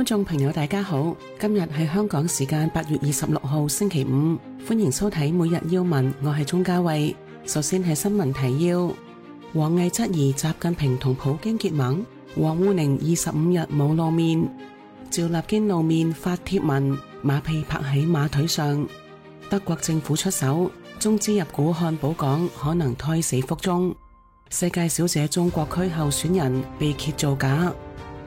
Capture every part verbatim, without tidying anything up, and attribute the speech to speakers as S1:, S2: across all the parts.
S1: 觀眾朋友大家好，今日係香港時間八月二十六號星期五，歡迎收睇每日要聞，我係鍾嘉慧。首先係新聞提要：王毅質疑習近平同普京結盟，王滬寧二十五日冇露面，趙立堅露面發帖文，馬屁拍喺馬腿上。德國政府出手，中資入股漢堡港可能胎死腹中。世界小姐中國區候選人被揭造假。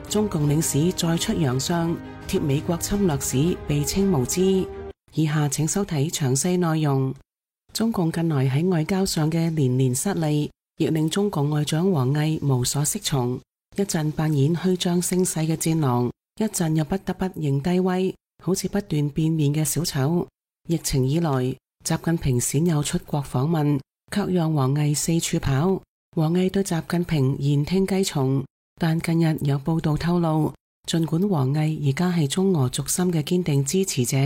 S1: 中共領事再出洋相，貼美國侵略史被稱無知。以下請收睇詳細內容。中共近來喺外交上嘅連連失利，亦令中共外長王毅無所適從。一陣扮演虛張聲勢嘅戰狼，一陣又不得不認低威，好似不斷變面嘅小丑。疫情以來，習近平鮮有出國訪問，卻讓王毅四處跑。王毅對習近平言聽計從。但近日有報道透露，儘管王毅而家係中俄軸心嘅堅定支持者，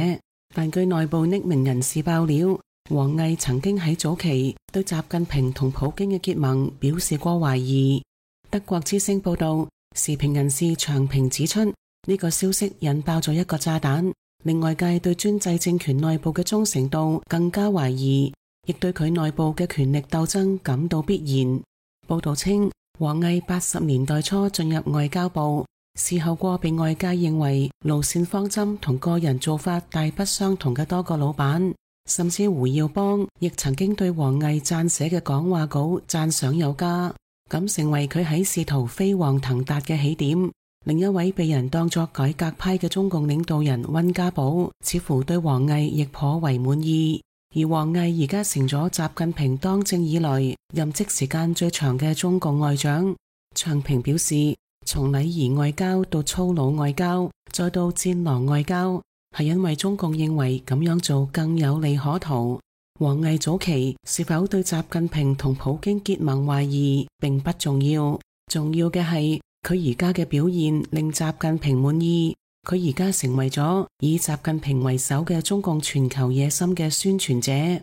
S1: 但據內部匿名人士爆料，王毅曾經喺早期對習近平同普京嘅結盟表示過懷疑。德國之聲報道，時評人士長平指出，呢個消息引爆咗一個炸彈，令外界對專制政權內部嘅忠誠度更加懷疑，亦對佢內部嘅權力鬥爭感到必然。報道稱，王毅八十年代初進入外交部，事後過被外界認為路線方針同個人做法大不相同嘅多個老闆，甚至胡耀邦亦曾經對王毅撰寫嘅講話稿讚賞有加，咁成為佢喺仕途飛黃騰達嘅起點。另一位被人當作改革派嘅中共領導人溫家寶，似乎對王毅亦頗為滿意。而王毅而家成咗習近平當政以來任職時間最長嘅中共外長。長平表示，從禮儀外交到粗魯外交，再到戰狼外交，係因為中共認為咁樣做更有利可圖。王毅早期是否對習近平同普京結盟懷疑並不重要，重要嘅係佢而家嘅表現令習近平滿意。佢而家成為咗以習近平為首嘅中共全球野心嘅宣傳者。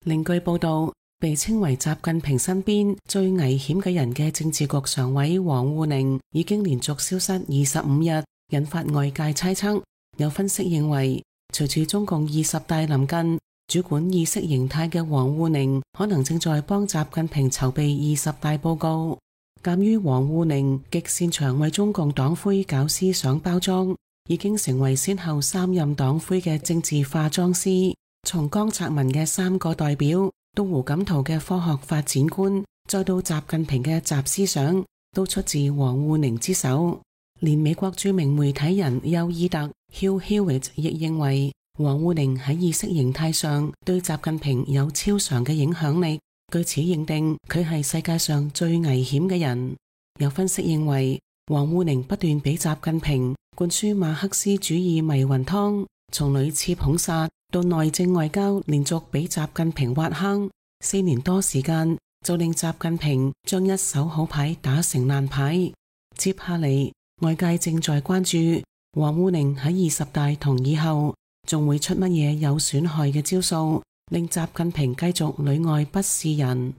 S1: 另據報道，被稱為習近平身邊最危險嘅人嘅政治局常委王滬寧已經連續消失二十五日，引發外界猜測。有分析認為，隨住中共二十大臨近，主管意識形態嘅王滬寧可能正在幫習近平籌備二十大報告。鑒於王滬寧極擅長為中共黨魁搞思想包裝，已經成為先後三任黨魁嘅政治化妝師，從江澤民嘅三個代表，到胡錦濤嘅科學發展觀，再到習近平嘅習思想，都出自王滬寧之手。連美國著名媒體人休爾特 Hugh Hewitt 亦認為，王滬寧喺意識形態上對習近平有超常嘅影響力，據此認定佢係世界上最危險嘅人。有分析認為，王滬寧不斷俾習近平灌輸馬克思主義迷魂湯，從屢次捧殺到內政外交連續俾習近平挖坑，四年多時間就令習近平將一手好牌打成爛牌。接下嚟，外界正在關注王滬寧喺二十大同以後仲會出乜嘢有損害嘅招數，令習近平繼續裏外不是人。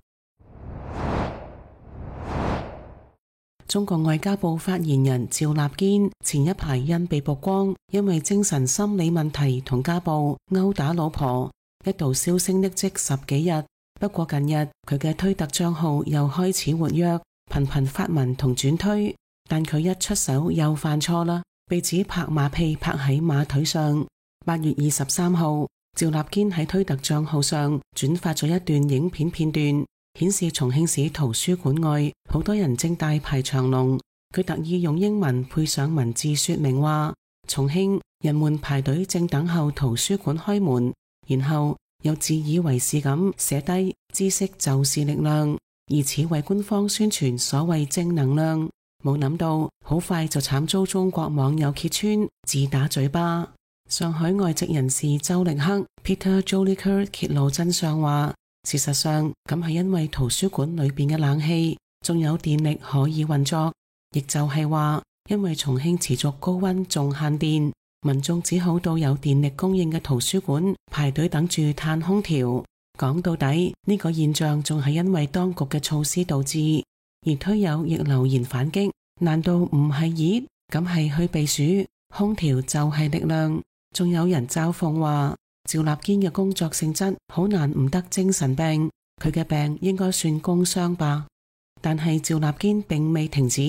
S1: 中國外交部發言人趙立堅前一排因被曝光因為精神心理問題同家暴毆打老婆，一度銷聲匿跡十幾日。不過近日佢嘅推特賬號又開始活躍，頻頻發文同轉推，但佢一出手又犯錯啦，被指拍馬屁拍喺馬腿上。八月二十三號，趙立堅喺推特賬號上轉發咗一段影片片段，顯示重慶市圖書館外好多人正大排長龍。佢特意用英文配上文字說明話，重慶人們排隊正等候圖書館開門，然後又自以為是咁寫低知識就是力量，以此為官方宣傳所謂正能量。冇諗到好快就慘遭中國網友揭穿，自打嘴巴。上海外籍人士周力克 Peter Jolicoeur 揭露真相話，事實上咁係因為圖書館裏邊嘅冷氣仲有電力可以運作，亦就係話因為重慶持續高溫仲限電，民眾只好到有電力供應嘅圖書館排隊等住嘆空調。講到底呢個現象仲係因為當局嘅措施導致，而推友亦留言反擊，難道唔係熱咁係去避暑？空調就係力量。仲有人嘲諷話，趙立堅嘅工作性質好難唔得精神病，佢嘅病應該算工傷吧。但係趙立堅並未停止，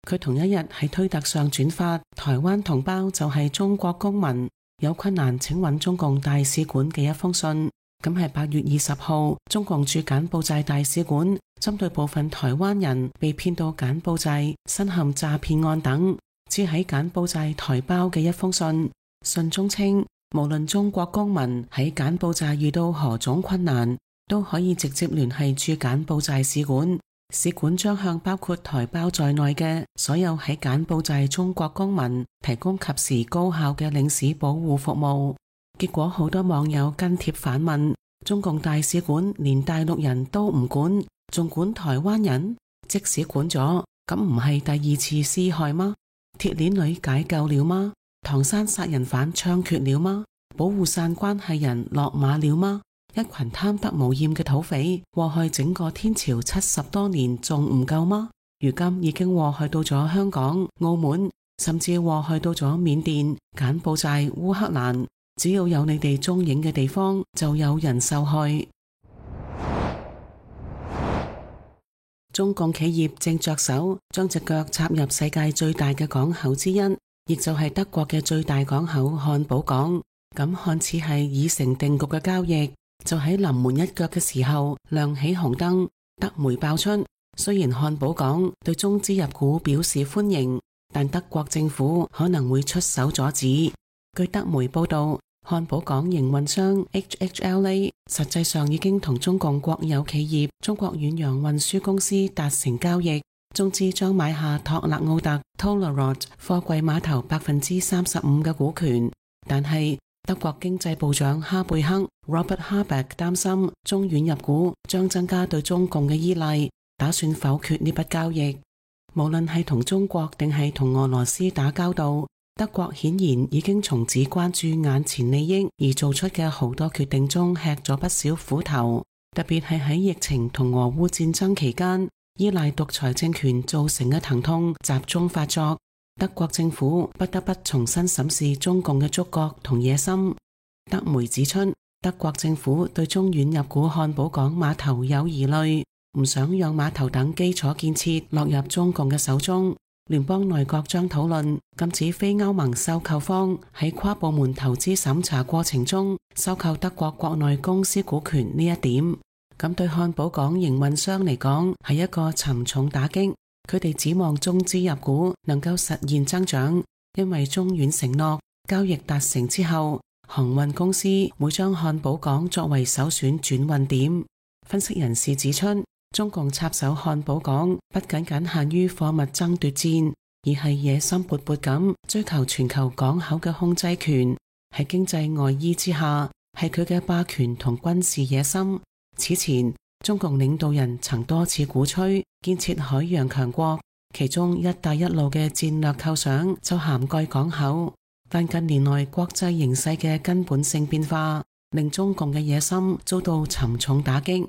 S1: 佢同一日喺推特上轉發台灣同胞就係中國公民，有困難請揾中共大使館嘅一封信。咁係八月二十號，中共駐柬埔寨大使館針對部分台灣人被騙到柬埔寨身陷詐騙案等，只喺柬埔寨台胞嘅一封信。信中稱，無論中國公民喺柬埔寨遇到何種困難，都可以直接聯繫駐柬埔寨使館，使館將向包括台胞在內嘅所有喺柬埔寨中國公民提供及時高效嘅領事保護服務。結果好多網友跟帖反問，中共大使館連大陸人都唔管，仲管台灣人？即使管咗，咁唔係第二次施害嗎？鐵鏈女解救了嗎？唐山殺人犯槍決了嗎？保護傘關係人落馬了嗎？一群貪得無厭嘅土匪禍害整個天朝七十多年仲唔夠嗎？如今已經禍害到咗香港、澳門，甚至禍害到咗緬甸、柬埔寨、烏克蘭。只要有你哋蹤影嘅地方，就有人受害。中共企業正着手將隻腳插入世界最大嘅港口之一，亦就係德國嘅最大港口漢堡港。咁看似係已成定局嘅交易，就喺臨門一腳嘅時候亮起紅燈。德媒爆出，雖然漢堡港對中資入股表示歡迎，但德國政府可能會出手阻止。據德媒報道，漢堡港營運商 H H L A 實際上已經同中共國有企業中國遠洋運輸公司達成交易，中資將買下托勒奧特 Tollerod 貨櫃碼頭百分之三十五嘅股權。但係德國經濟部長哈貝克 Robert Habeck 擔心中遠入股將增加對中共嘅依賴，打算否決呢筆交易。無論係同中國定係同俄羅斯打交道，德國顯然已經從只關注眼前利益而做出嘅好多決定中吃咗不少苦頭，特別係喺疫情同俄烏戰爭期間，依賴獨裁政權造成嘅疼痛集中發作，德國政府不得不重新審視中共嘅觸覺同野心。德媒指出，德國政府對中遠入股漢堡港碼頭有疑慮，唔想讓碼頭等基礎建設落入中共嘅手中。聯邦內閣將討論禁止非歐盟收購方喺跨部門投資審查過程中收購德國國內公司股權呢一點。咁對漢堡港營運商嚟講係一個沉重打擊，佢哋指望中資入股能夠實現增長，因為中遠承諾交易達成之後，航運公司會將漢堡港作為首選轉運點。分析人士指出，中共插手漢堡港不僅僅限於貨物爭奪戰，而係野心勃勃咁追求全球港口嘅控制權。喺經濟外衣之下，係佢嘅霸權同軍事野心。此前，中共領導人曾多次鼓吹建設海洋強國，其中一帶一路嘅戰略構想就涵蓋港口。但近年來國際形勢嘅根本性變化，令中共嘅野心遭到沉重打擊。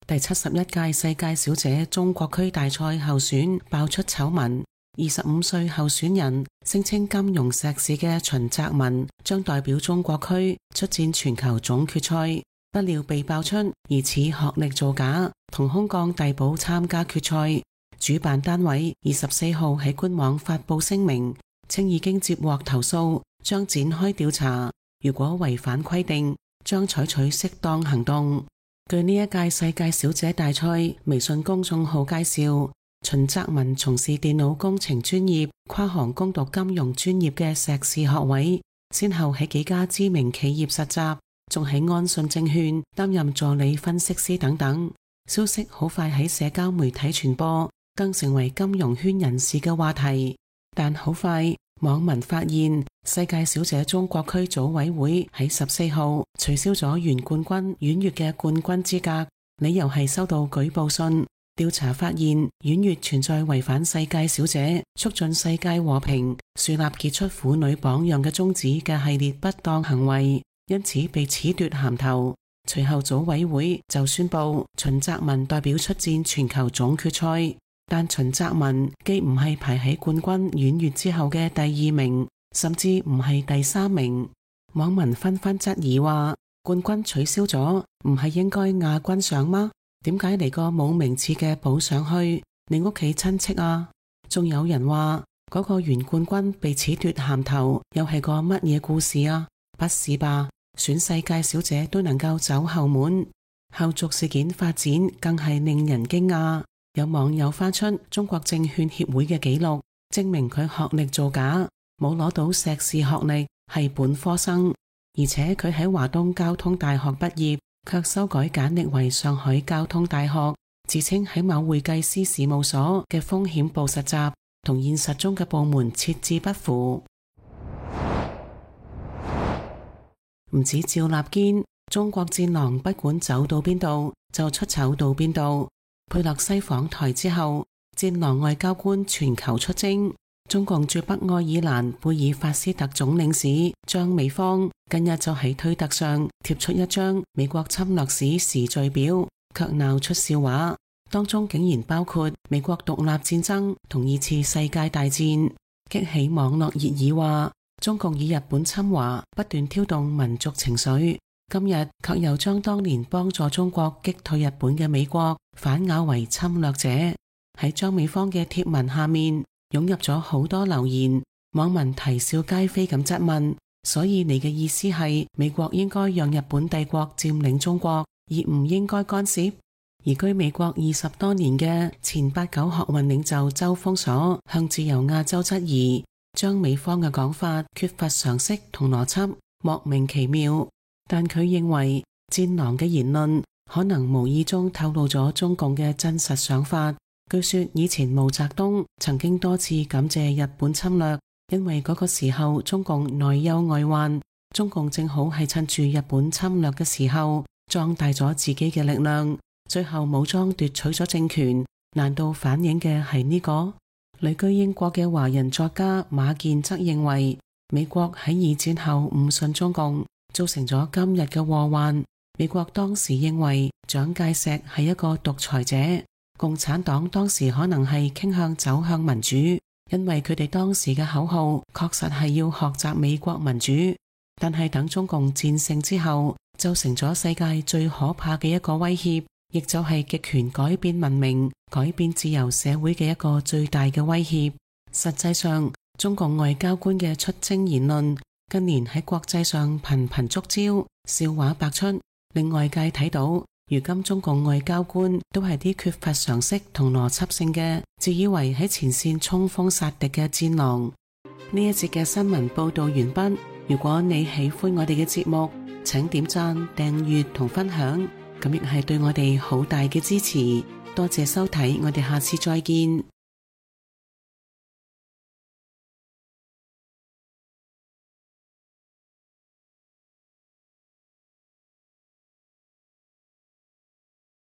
S1: 第七十一屆世界小姐中國區大賽候選爆出醜聞，二十五歲候選人聲稱金融碩士嘅秦澤文將代表中國區出戰全球總決賽，不料被爆出疑似學歷造假，同空降遞補參加決賽。主辦單位二十四號喺官網發佈聲明，稱已經接獲投訴，將展開調查，如果違反規定，將採取適當行動。據呢一屆世界小姐大賽微信公眾號介紹，秦澤文從事電腦工程專業，跨行攻讀金融專業嘅碩士學位，先後喺幾家知名企業實習，仲喺安信證券擔任助理分析師等等。消息好快喺社交媒體傳播，更成為金融圈人士嘅話題。但好快，網民發現世界小姐中國區組委會喺十四號取消咗原冠軍婉月嘅冠軍資格，理由係收到舉報信，調查發現婉月存在違反世界小姐促進世界和平、樹立傑出婦女榜樣嘅宗旨嘅系列不當行為，因此被褫奪銜頭。隨後組委會就宣布秦澤文代表出戰全球總決賽。但秦澤文既唔係排喺冠軍阮越之後嘅第二名，甚至唔係第三名。網民紛紛質疑話，冠軍取消咗，唔係應該亞軍上嗎？點解嚟個冇名次嘅補上去？你屋企親戚啊？仲有人話嗰個原冠軍被褫奪銜頭，又係個乜嘢故事啊？不是吧？選世界小姐都能夠走後門，後續事件發展更係令人驚訝。有網友翻出中國證券協會嘅記錄，證明佢學歷造假，冇攞到碩士學歷，係本科生，而且佢喺華東交通大學畢業，卻修改簡歷為上海交通大學，自稱喺某會計師事務所嘅風險部實習，同現實中嘅部門設置不符。唔止趙立堅，中國戰狼不管走到邊度就出醜到邊度。佩洛西訪台之後，戰狼外交官全球出征。中共駐北愛爾蘭貝爾法斯特總領事張美芳近日就喺推特上貼出一張美國侵略史時序表，卻鬧出笑話，當中竟然包括美國獨立戰爭同二次世界大戰，激起網絡熱議話中共以日本侵華不斷挑動民族情緒，今日卻又將當年幫助中國擊退日本嘅美國反咬為侵略者。喺張美芳嘅貼文下面湧入咗好多留言，網民啼笑皆非咁質問，所以你嘅意思係美國應該讓日本帝國佔領中國，而唔應該干涉？移居美國二十多年嘅前八九學運領袖周鋒鎖向自由亞洲質疑張美芳嘅講法缺乏常識同邏輯，莫名其妙。但佢認為戰狼嘅言論可能無意中透露咗中共嘅真實想法。據說以前毛澤東曾經多次感謝日本侵略，因為嗰個時候中共內憂外患，中共正好係趁住日本侵略嘅時候壯大咗自己嘅力量，最後武裝奪取咗政權。難道反映嘅係呢個？旅居英國嘅華人作家馬健則認為，美國喺二戰後誤信中共，造成咗今日嘅禍患。美國當時認為蔣介石係一個獨裁者，共產黨當時可能係傾向走向民主，因為佢哋當時嘅口號確實係要學習美國民主。但係等中共戰勝之後，就成咗世界最可怕嘅一個威脅，亦就係極權改變文明、改變自由社會嘅一個最大嘅威脅。實際上，中共外交官嘅出征言論近年喺國際上頻頻觸礁，笑話百出，令外界睇到如今中共外交官都係啲缺乏常識同邏輯性嘅，自以為喺前線衝鋒殺敵嘅戰狼。呢一節嘅新聞報道完畢。如果你喜歡我哋嘅節目，請點讚、訂閱同分享，咁亦係對我哋好大嘅支持。多謝收睇，我哋下次再見。